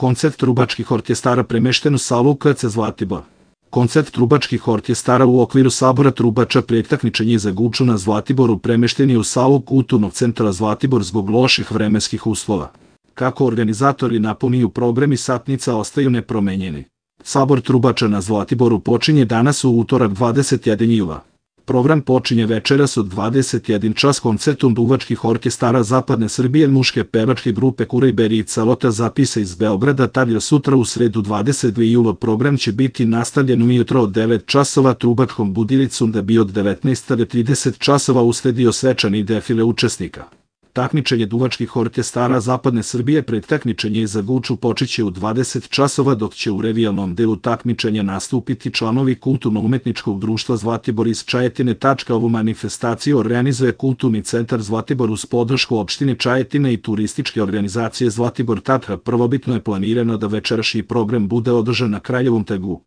Koncert trubačkih orkestara premešten u salu KC Zlatibor. Koncert trubačkih orkestara u okviru sabora trubača pred takmičenje za Guču na Zlatiboru premešten je u salu Kulturnog centra Zlatibor zbog loših vremenskih uslova. Kako organizatori napominju, programi satnica ostaju nepromenjeni. Sabor trubača na Zlatiboru počinje danas u utorak 21. jula. Program počinje večeras od 21 čas koncertom duvačkih orkestara Zapadne Srbije, muške pevačke grupe Kurajberi i Calota Zapisa iz Beograda. Tavlja sutra u sredu 22. jula program će biti nastavljen ujutro od 9 časova trubačkom budilicom da bi od 19:30 časova usledio svečani defile učesnika. Takmičenje duvačkih orkestara Zapadne Srbije pred takmičenje za Guču počeće u 20 časova, dok će u revijalnom delu takmičenja nastupiti članovi Kulturno-umetničkog društva Zlatibor iz Čajetine. Ovu manifestaciju organizuje Kulturni centar Zlatibor uz podršku opštine Čajetina i turističke organizacije Zlatibor. Prvobitno je planirano da večerašnji program bude održan na Kraljevom trgu.